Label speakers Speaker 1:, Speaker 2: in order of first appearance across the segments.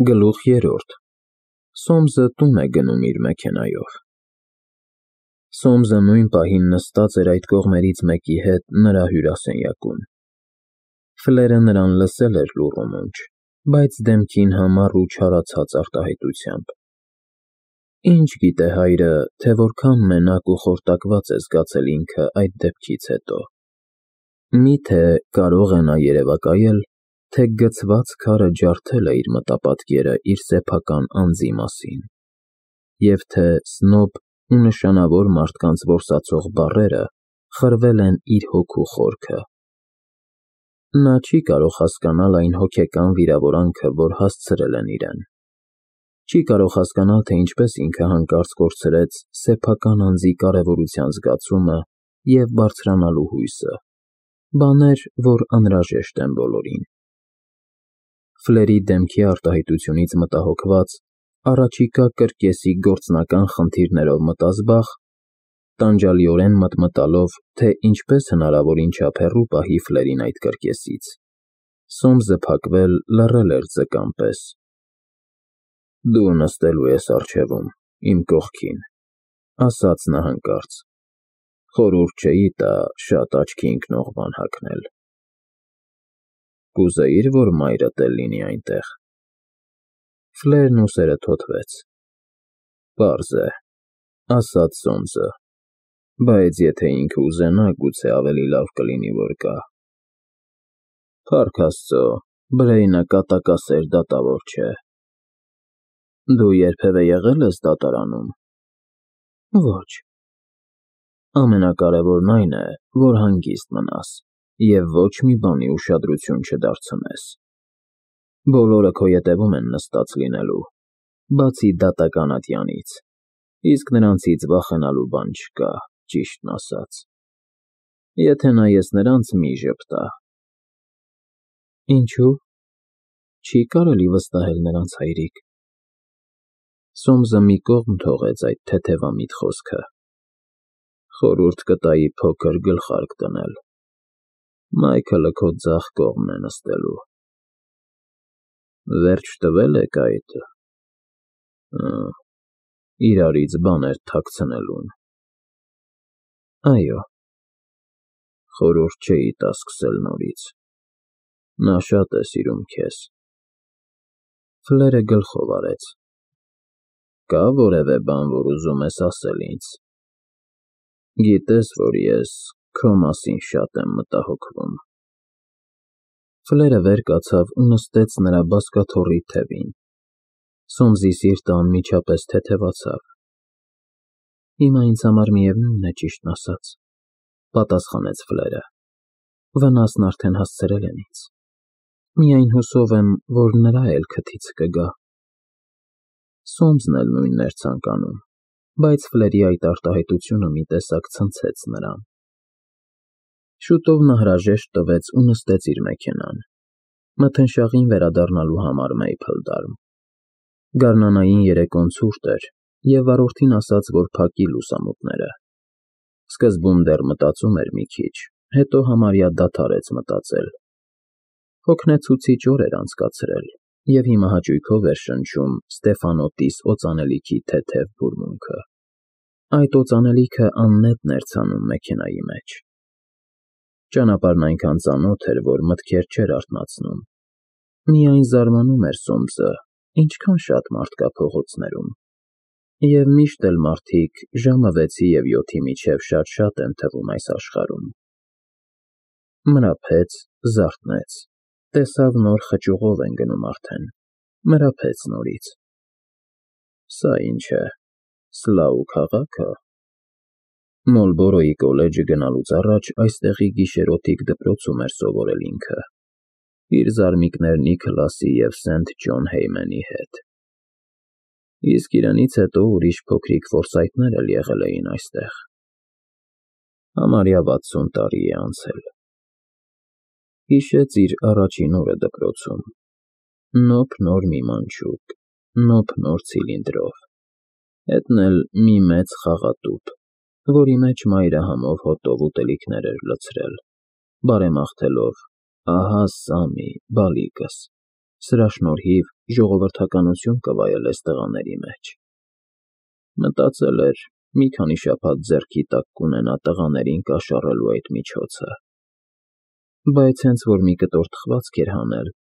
Speaker 1: Գլուխ 3 Սոմսը տուն է գնում իր մեքենայով։ Սոմսը նույն պահին նստած էր այդ կողմերից մեկի հետ նրա հյուրասենյակում։ Ֆլերը նրան լսել էր լուռ ու մունջ, բայց դեմքին համառ ու չարացած արտահայտությամբ։ Ինչ գիտե հայրը, թե որքան մենակ ու խորտակված է զգացել ինքը այդ դեպքից հետո։ Մի՞թե կարող է նա երևակայել, թե գցված քարը ջարդել է իր մտապատկերը իր սեփական անձի մասին, և թե սնոբ ու նշանավոր մարդկանց որսացող բառերը խրվել են իր հոգու խորքը։ Նա չի կարող հասկանալ այն հոգեկան վիրավորանքը, որ հասցրել են իրեն։ Չի կարող հասկանալ, թե ինչպես ինքը հանկարծ կորցրեց սեփական անձի կարևորության զգացումը և բարձրանալու հույսը, բաներ, որ անհրաժեշտ են բոլորին։ Ֆլերի դեմքի արտահայտությունից մտահոգված, առաջիկա կրկեսի գործնական խնդիրներով մտազբաղ, տանջալիորեն մտմտալով, թե ինչպես հնարավորին չափ հեռու պահի Ֆլերին այդ կրկեսից, Սոմսը փակվել լռել էր ձկան պես։ «Դու նստելու ես առջևում, իմ կողքին», ասաց նա հանկարծ, «խորհուրդ չէի տա շատ աչքի ընկնող բան հագնել»։ «Կուզեի՞ր, որ մայրդ էլ լինի այնտեղ»։ Ֆլերն ուսերը թոթվեց։ «Պարզ է», ասաց Սոմսը, «բայց եթե ինքը ուզենա, գուցե ավելի լավ կլինի, որ գա»։ «Փառք Աստծո, Բրեյնը կատակասեր դատավոր չէ»։ «Դու երբևէ եղել ես դատարանում»։ «Ոչ»։ «Ամենակարևորն այն է, որ հանգիստ մնաս և ոչ մի բանի ուշադրություն չդարձնես։ Բոլորը քո ետևում են նստած լինելու, բացի դատական ատյանից, իսկ նրանցից վախենալու բան չկա, ճիշտն ասած։ Եթե նայես նրանց, մի ժպտա»։ «Ինչո՞ւ, չի կարելի վստահել նրանց, հայրիկ»։ Սոմսը մի կողմ թողեց այդ թեթևամիտ խոսքը։ «Խորհուրդ կտայի փոքր գլխարկ դնել։ Մայքլը քո ձախ կողմն է նստելու»։ «Վերջ տվե՞լ եք այդ… իրարից բաներ թաքցնելուն»։ «Այո»։ «Խորհուրդ չէի տա սկսել նորից։ Նա շատ է սիրում քեզ»։ Ֆլերը գլխով արեց։ «Կա որևէ բան, որ ուզում ես ասել ինձ։ Գիտես, որ ես քո մասին շատ եմ մտահոգվում»։ Ֆլերը վեր կացավ ու նստեց նրա բազկաթոռի թևին։ Սոմսի սիրտը անմիջապես թեթևացավ։ «Հիմա ինձ համար միևնույն է, ճիշտն ասած», պատասխանեց Ֆլերը։ «Վնասն արդեն հասցրել են ինձ։ Միայն հուսով եմ, որ նրա էլ քթից կգա»։ Սոմսն էլ նույնն էր ցանկանում, բայց Ֆլերի այդ արտահայտությունը մի տեսակ ցնցեց նրան։ Շուտով նա հրաժեշտ տվեց ու նստեց իր մեքենան, մթնշաղին վերադառնալու համար Մեյփլդարմ։ Գարնանային երեկոն ցուրտ էր, և վարորդին ասաց, որ փակի լուսամուտները։ Սկզբում դեռ մտածում էր մի քիչ, հետո համարյա դադարեց մտածել։ Հոգնեցուցիչ օր էր անցկացրել, և հիմա հաճույքով էր շնչում Ստեֆանոտիս օծանելիքի թեթև բուրմունքը։ Այդ օծանելիքը աննետն էր ցանում մեքենայի մեջ։ Ճանապարհն այնքան ծանոթ էր, որ մտքեր չէր արթնացնում։ Միայն զարմանում էր Սոմսը, ինչքան շատ մարդ կա փողոցներում, և միշտ էլ մարդիկ ժամը 6-ի և 7-ի միջև շատ են թվում այս աշխարհում։ Մրափեց, զարթնեց, տեսավ նոր խճուղով են գնում արդեն, մրափեց նորից։ Սա ի՞նչ է, Սլոու քաղա՞քը։ Մոլբորոյի կոլեջը գնալուց առաջ այստեղի գիշերօթիկ դպրոցում էր սովորել ինքը, իր զարմիկներ Նիքլասի և Սենթ Ջոն Հեյմենի հետ։ Իսկ իրենից հետո ուրիշ փոքրիկ Ֆորսայթներ էլ եղել էին այստեղ։ Համարյա 60 տարի է անցել։ Հիշեց իր առաջին օրը դպրոցում։ Նոփ-նոր մի մանչուկ, նոփ-նոր ցիլինդրով, հետն էլ մի մեծ խաղատուփ, որի մեջ մայրը համով հոտով ուտելիքներ էր լցրել, բարեմաղթելով. «Ահա, Սամի, բալիկս, սրա շնորհիվ ժողովրդականություն կվայելես տղաների մեջ։ Մտածել էր, մի քանի շաբաթ ձեռքի տակ կունենա տղաներին կաշառելու այդ միջոցը։ Բայց հենց որ մի կտոր թխվածք էր հանել,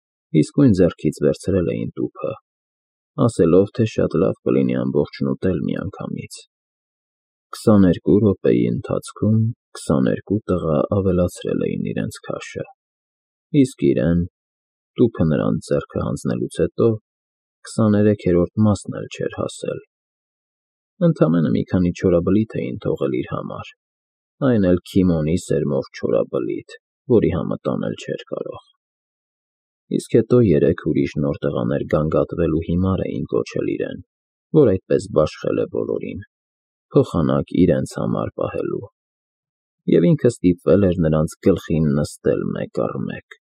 Speaker 1: իսկույն ձեռքից վերցրել էին տուփը, ասելով, թե շատ լավ կլինի ամբողջն ուտել միանգամից։ 22 րոպեի ընթացքում 22 տղա ավելացրել էին իրենց քաշը, իսկ իրեն, տուփը նրանց ձեռքը հանձնելուց հետո, 23-րդ մասն էլ չէր հասել։ Ընդամենը մի քանի չորաբլիթ էին թողել իր համար, այն էլ քիմոնի սերմով չորաբլիթ, որի համը տանել չէր կարող։ Իսկ հետո 3 ուրիշ նոր տղաներ գանգատվել ու հիմար էին կոչել իրեն, որ այդպես բաշխել է բոլորին, փոխանակ իրենց համար պահելու, և ինքը ստիպվել էր նրանց գլխին նստել մեկ առ մեկ։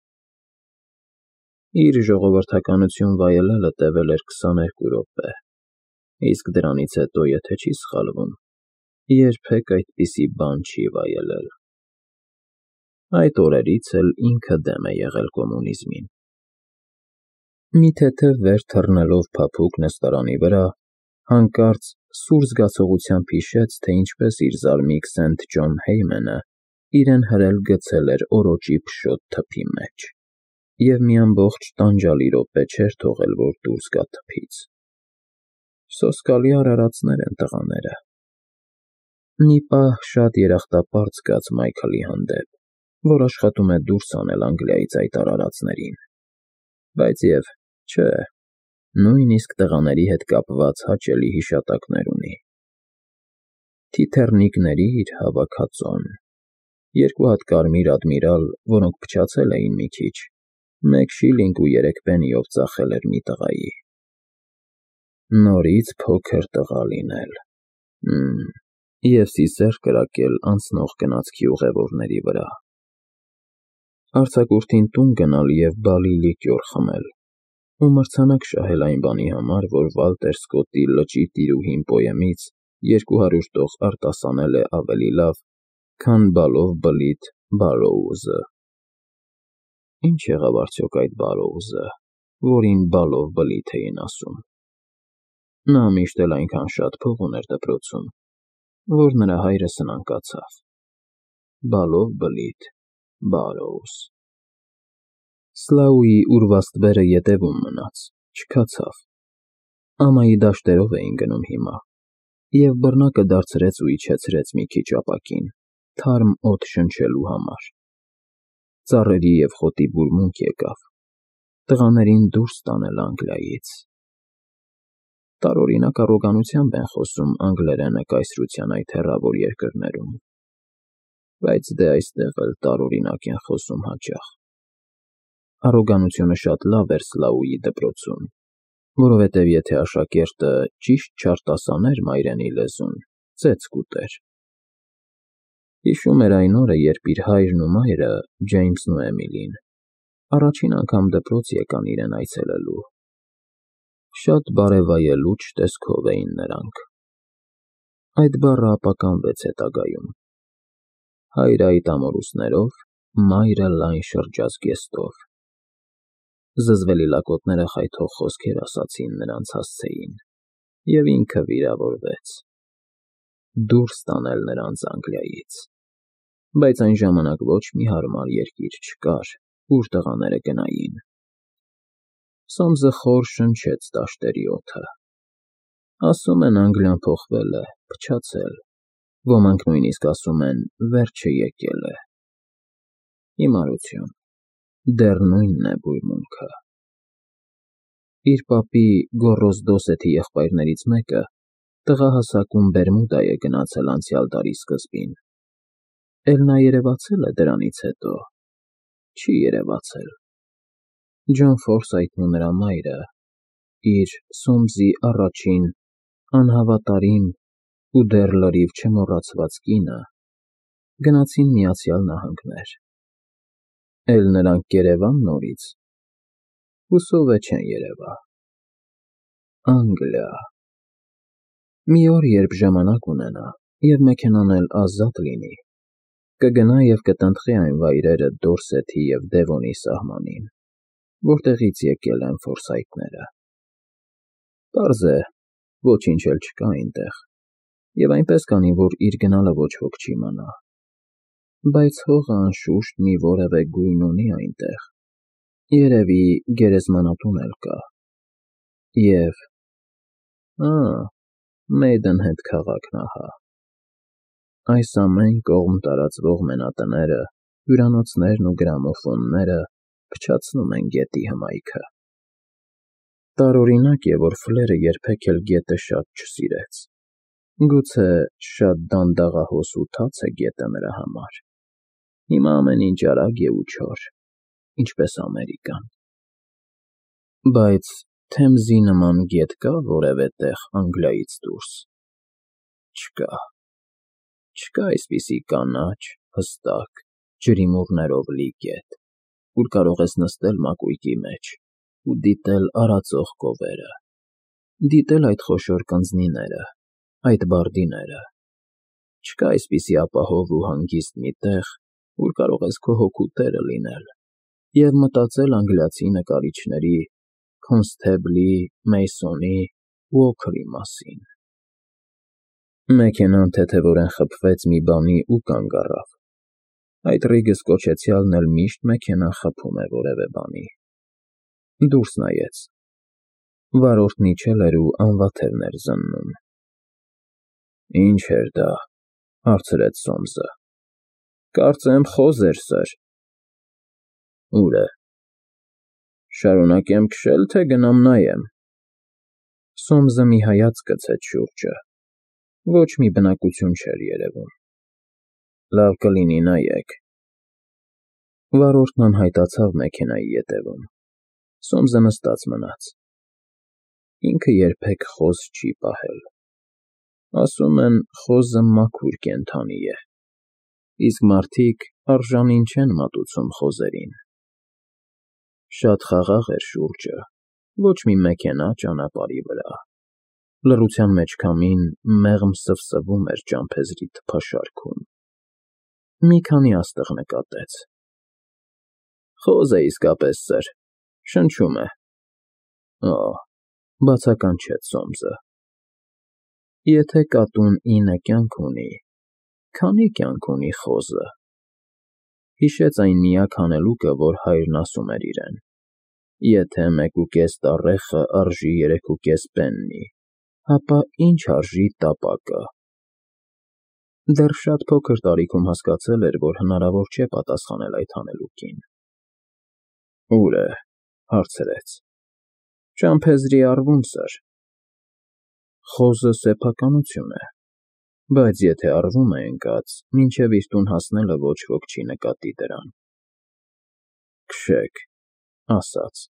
Speaker 1: Իր ժողովրդականություն վայելելը տևել էր 22 րոպե, իսկ դրանից հետո, եթե չի սխալվում, երբեք այդպիսի բան չի վայելել։ Այդ օրերից էլ ինքը դեմ է եղել կոմունիզմին։ Մի թեթև վեր թռնելով փափուկ նստարանի վրա, հանկարծ սուր զգացողությամբ հիշեց, թե ինչպես իր զարմիկ Սենթ Ջոն Հեյմենը իրեն հրել գցել էր օրոճի փշոտ թփի մեջ, և մի ամբողջ տանջալի րոպե չէր թողել, որ դուրս գա թփից։ Սոսկալի արարածներ են տղաները։ Մի պահ շատ երախտապարտ զգաց Մայքլի հանդեպ, որ աշխատում է դուրս անել Անգլիայից այդ արարածներին, բայց և չէ, նույնիսկ տղաների հետ կապված հաճելի հիշատակներ ունի։ Թիթեռնիկների իր հավաքածոն, 2 հատ կարմիր ադմիրալ, որոնք փչացել էին մի քիչ, 1 շիլինգ ու 3 պենիով ծախել էր մի տղայի։ Նորից փոքր տղա լինել, և սիսեռ կրակել անցնող գնացքի ուղևորների վրա, արձակուրդին տուն գնալ և բալի լիկյոր խմել ու մրցանակ շահել այն բանի համար, որ Վալտեր Սկոտտի Լճի տիրուհին պոեմից 200 տող արտասանել է ավելի լավ, քան բալով բլիթ Բարրոուզը։ Ինչ եղավ արդյոք այդ Բարրոուզը, որին բալով բլիթ էին ասում։ Նա միշտ էլ այնքան շատ փող ուներ դպրոցում, որ նրա հայրը սնանկացավ։ Բալով բլիթ Բարրոուզ։ Սլաուի ուրվաստ բերը ետևում մնաց, չքացավ։ Ամայի դաշտերով էին գնում հիմա, և բռնակը դարձրեց ու իջեցրեց մի քիչ ապակին, թարմ օդ շնչելու համար։ Ծառերի և խոտի բուրմունք եկավ, տղաներին դուրս տանել Անգլիայից։ Տարօրինակ առոգանությամբ են խոսում անգլերենը կայսրության այդ հեռավոր երկրներում, բայց դե այստեղ էլ տարօրինակ են խոսում հաճախ։ Առոգանությունը շատ լավ էր Սլաուի դպրոցում, որովհետև եթե աշակերտը ճիշտ չարտասաներ մայրենի լեզուն, ծեծ կուտեր։ Հիշում էր այն օրը, երբ իր հայրն ու մայրը, Ջեյմսն ու Էմիլին, առաջին անգամ դպրոց եկան իրեն այցելելու։ Շատ բարևայելուչ տեսքով էին նրանք։ Այդ բառը ապականվեց հետագայում։ Հայրը այդ ամորուսներով, մայրը լայն շրջազգեստով։ Զզվելի լակոտները խայթող խոսքեր ասացին նրանց հասցեին, և ինքը վիրավորվեց։ Դուրս տանել նրանց Անգլիայից։ Բայց այն ժամանակ ոչ մի հարմար երկիր չկար, ուր տղաները գնային։ Սոմսը խոր շնչեց դաշտերի օդը։ Ասում են Անգլիան փոխվել է, փչացել, ոմանք նույնիսկ ասում են վերջը եկել է։ Հիմարություն, դեռ նույնն է բուրմունքը։ Իր պապի Գոռոզ Դոսեթի եղբայրներից մեկը տղահասակում Բերմուդա է գնացել անցյալ դարի սկզբին։ Էլ նա երևացել է դրանից հետո։ Չի երևացել։ Ջոն Ֆորսայթն ու նրա մայրը, իր Սոմսի առաջին անհավատարիմ ու դեռ լրիվ չմոռացված կինը, գնացին Միացյալ Նահանգներ։ Էլ նրանք կերևա՞ն նորից։ Հուսով է չեն երևա։ Անգլիա։ Մի օր, երբ ժամանակ ունենա, և մեքենան էլ ազատ լինի, կգնա և կտնտղի այն վայրերը Դորսեթի և Դևոնի սահմանին, որտեղից եկել են Ֆորսայթները։ Պարզ է, ոչինչ էլ չկա այնտեղ, և այնպես կանի, որ իր գնալը ոչ ոք չի իմանա, բայց հողը անշուշտ մի որևէ գույն ունի այնտեղ, երևի գերեզմանատուն էլ կա, և… Մեյդենհեդ քաղաքն ահա… Այս ամեն կողմ տարածվող մենատները, հյուրանոցներն ու գրամոֆոնները փչացնում են գետի հմայքը… Տարօրինակ է, որ Ֆլերը երբեք էլ գետը շատ չսիրեց, գուցե շատ դանդաղահոս ու թաց է գետը նրա համար, հիմա ամեն ինչ արագ է ու չոր, ինչպես Ամերիկան… Բայց Թեմզի նման գետ կա՞ որևէ տեղ Անգլիայից դուրս… Չկա այսպիսի կանաչ, հստակ, ջրիմուռներով լի գետ, ուր կարող ես նստել մակույկի մեջ ու դիտել արածող կովերը, դիտել այդ խոշոր կնձնիները, այդ բարդիները, չկա այսպիսի ապահով ու հանգիստ մի տեղ, ուր կարող ես քո հոգու տերը լինել և մտածել անգլիացի նկարիչների Քոնսթեբլի, Մեյսոնի, Ուոքերի մասին… Մեքենան թեթևորեն խփվեց մի բանի ու կանգ առավ, այդ ռիգս կոչեցյալն էլ միշտ մեքենան խփում է որևէ բանի… Դուրս նայեց… Վարորդն իջել էր ու անվաթևն էր զննում… Ի՞նչ էր դա,֊ հարցրեց Սոմսը… Կարծեմ խոզ էր, սըր… Ո՞ւր է… Շարունակեմ քշել, թե գնամ նայեմ… Սոմսը մի հայացք գցեց շուրջը… Ոչ մի բնակություն չէր երևում… Լավ կլինի նայեք… Վարորդն անհայտացավ մեքենայի ետևում… Սոմսը նստած մնաց… Ինքը երբեք խոզ չի պահել… Ասում են, խոզը մաքուր կենդանի է, իսկ մարդիկ արժանին չեն մատուցում խոզերին… Շատ խաղաղ էր շուրջը, ոչ մի մեքենա ճանապարհի վրա… Լռության մեջ քամին մեղմ սվսվում էր ճամփեզի թփաշարքում… Մի քանի աստղ նկատեց… Խոզ է իսկապես, սըր… Շնչում է… Օ՜, բացականչեց Սոմսը… Եթե կատուն 9 կյանք ունի, քանի՞ կյանք ունի խոզը… Հիշեց այն միակ հանելուկը, որ հայրն ասում էր իրեն. եթե 1.5 տառեխը արժի 3.5 պեննի, ապա ի՞նչ արժի տապակը… Դեռ շատ փոքր տարիքում հասկացել էր, որ հնարավոր չէ պատասխանել այդ հանելուկին… Ո՞ւր է,֊ հարցրեց… Ճամփեզրի առվում, սըր… Խոզը սեփականություն է, բայց եթե առվում է ընկած, մինչև իր տուն հասնելը ոչ ոք չի նկատի դրան… Քշեք,֊ ասաց…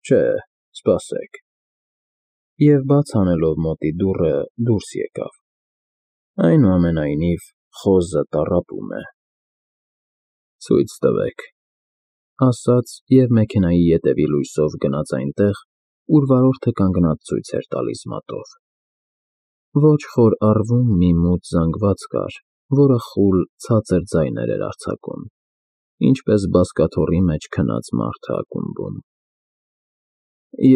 Speaker 1: Չէ, սպասեք… Եվ բաց անելով մոտի դուռը դուրս եկավ… Այնուամենայնիվ, խոզը տառապում է… Ցույց տվեք,֊ ասաց և մեքենայի ետևի լույսով գնաց այնտեղ, ուր վարորդը կանգնած ցույց էր տալիս մատով… Ոչ խոր առվում մի մութ զանգված կար, որը խուլ, ցածր ձայներ էր արձակում, ինչպես բազկաթոռի մեջ քնած մարդը ակումբում…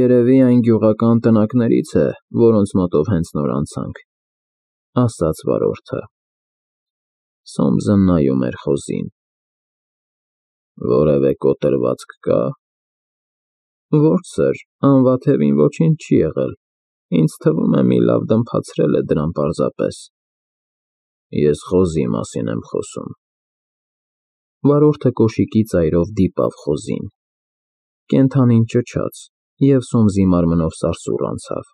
Speaker 1: Երևի այն գյուղական տնակներից է, որոնց մոտով հենց նոր անցանք,֊ ասաց վարորդը… Սոմսը նայում էր խոզին… Որևէ կոտրվածք կա՞… Ոչ, սըր, անվաթևին ոչինչ չի եղել, ինձ թվում է մի լավ դմփացրել է դրան պարզապես… Ես խոզի մասին եմ խոսում… Վարորդը կոշիկի ծայրով դիպավ խոզին… Կենդանին ճչաց, և Սոմսի մարմնով սարսուռ անցավ…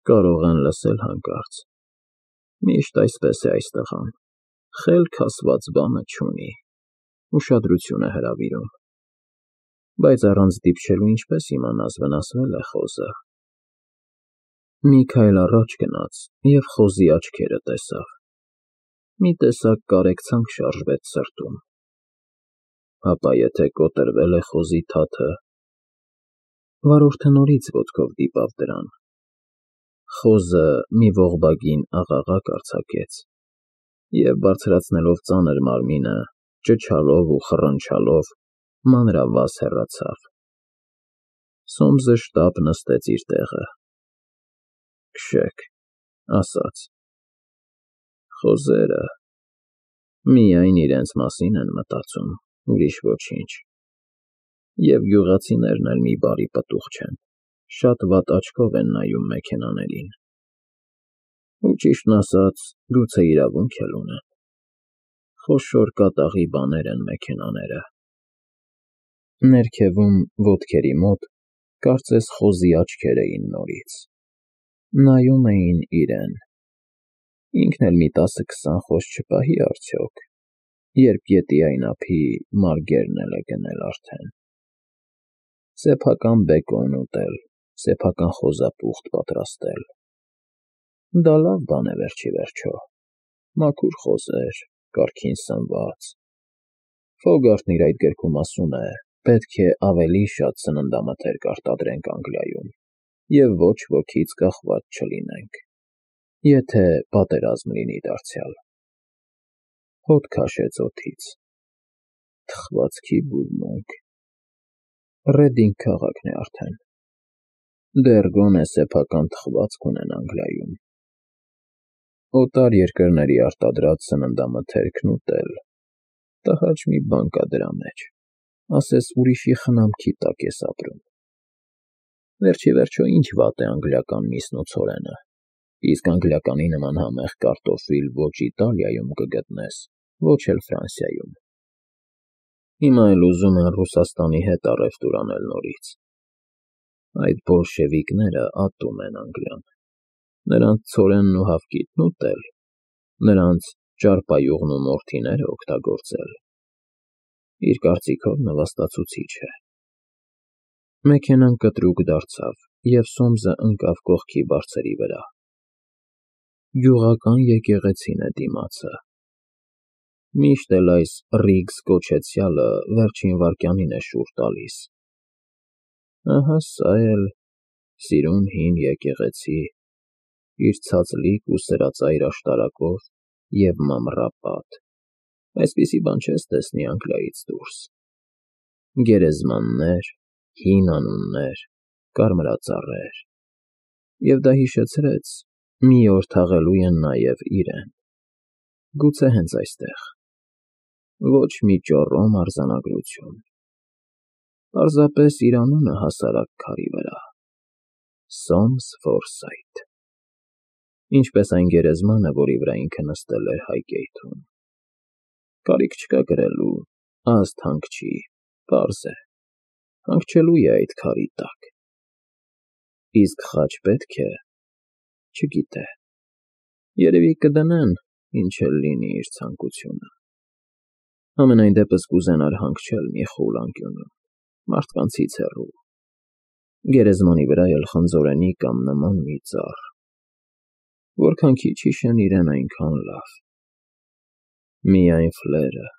Speaker 1: Կարող են լսել հանկարծ… Միշտ այսպես է այս տղան… Խելք ասված բանը չունի… Ուշադրություն է հրավիրում… Բայց առանց դիպչելու ինչպես իմանաս վնասվե՞լ է խոզը… Մի քայլ առաջ գնաց և խոզի աչքերը տեսավ… Մի տեսակ կարեկցանք շարժվեց սրտում… Հապա եթե կոտրվել է խոզի թաթը… Վարորդը նորից ոտքով դիպավ դրան… Խոզը մի ողբագին աղաղակ արձակեց և, բարձրացնելով ծանր մարմինը, ճչալով ու խռնչալով, մանրավազ հեռացավ… Սոմսը շտապ նստեց իր տեղը։ Քշեք, ասաց. խոզերը միայն իրենց մասին են մտածում, ուրիշ ոչինչ։ Եվ գյուղացիներն էլ մի բարի պտուղ չեն, շատ վատ աչքով են նայում մեքենաներին։ Ու ճիշտն ասած, գուցե իրավունք էլ ունեն։ Խոշոր կատաղի բաներ են մեքենաները։ Ներքևում, ոտքերի մոտ, կարծես խոզի աչքեր էին նորից։ Նայում էին իրեն։ Ինքն էլ մի 10-20 խոզ չպահի արդյոք, երբ գետի այն ափի մարգերն էլ է գնել արդեն։ Սեփական բեկոն ուտել, սեփական խոզապուխտ պատրաստել։ Դա լավ բան է վերջիվերջո, մաքուր խոզեր, կարգին սնված։ Ֆոգարտն իր այդ գրքում ասում է, պետք է ավելի շատ սննդամթերք արտադրենք Անգլիայում և ոչ ոքից կախված չլինենք, եթե պատերազմ լինի դարձյալ։ Հոտ քաշեց օդից։ Թխվածքի բուրմունք։ Ռեդինգ քաղաքն է արդեն։ Դեռ գոնե սեփական թխվածք ունեն Անգլիայում։ Օտար երկրների արտադրած սննդամթերքն ուտել, տհաճ մի բան կա դրա մեջ, ասես ուրիշի խնամքի տակ ես ապրում։ Վերջիվերջո ինչ վատ է անգլիական միսն ու ցորենը, իսկ անգլիականի նման համեղ կարտոֆիլ ոչ Իտալիայում կգտնես, ոչ էլ Ֆրանսիայում։ Հիմա էլ ուզում են Ռուսաստանի հետ առևտուր անել նորից։ Այդ բոլշևիկները ատում են Անգլիան։ Նրանց ցորենն ու հավկիթն ուտել, նրանց ճարպայուղն ու մորթիները օգտագործել։ Իր կարծիքով նվաստացուցիչ է։ Մեքենան կտրուկ դարձավ, և Սոմսը ընկավ կողքի բարձերի վրա։ Գյուղական եկեղեցին է դիմացը։ Միշտ էլ այս Ռիգս կոչեցյալը վերջին վայրկյանին է շուռ տալիս։ Ահա սա էլ սիրուն հին եկեղեցի, իր ցածլիկ ու սրածայր աշտարակով և մամռապատ, այսպիսի բան չես տեսնի Անգլիայից դուրս։ Գերեզմաններ, հին անուններ, կարմրածառեր։ Եվ դա հիշեցրեց, մի օր թաղելու են նաև իրեն։ Գուցե հենց այստեղ։ Ոչ մի ճոռոմ արձանագրություն։ Պարզապես իր անունը հասարակ քարի վրա։ Սոմս Ֆորսայթ։ Ինչպես այն գերեզմանը, որի վրա ինքը նստել էր Հայգեյթում։ Կարիք չկա գրելու, ազդ հանգչի, պարզ է։ Հանգչելու է այդ քարի տակ։ Իսկ խաչ պետք է, չգիտե։ Երևի կդնեն, ինչ էլ լինի իր ցանկությունը։ Համենայն դեպս կուզենար հանգչել մի խուլ անկյունում, մարդկանցից հեռու։ Գերեզմանի վրա էլ խնձորենի կամ նման մի ծառ։ Որքան քիչ հիշեն իրեն, այնքան լավ։ Միայն ֆլերը,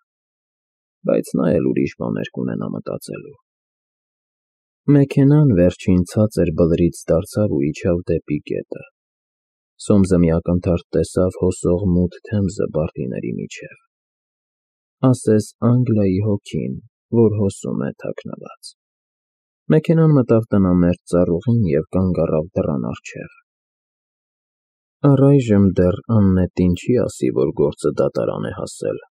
Speaker 1: բայց նա էլ ուրիշ բաներ կունենա մտածելու։ Մեքենան վերջին ցածր բլրից դարձավ ու իջավ դեպի գետը։ Սոմսը մի ակնթարթ տեսավ հոսող մութ Թեմզը բարտիների միջև։ Ասես Անգլիայի հոգին, որ հոսում է թաքնված։ Մեքենան մտավ տնամերձ ծառուղին և կանգ առավ դռան առջև։ Առայժմ դեռ աննետին չի ասի, որ գործը դատարան է հասել։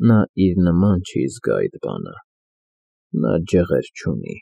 Speaker 1: Նա իր նման չի զգա այդ բանը։ Նա ջղեր չունի։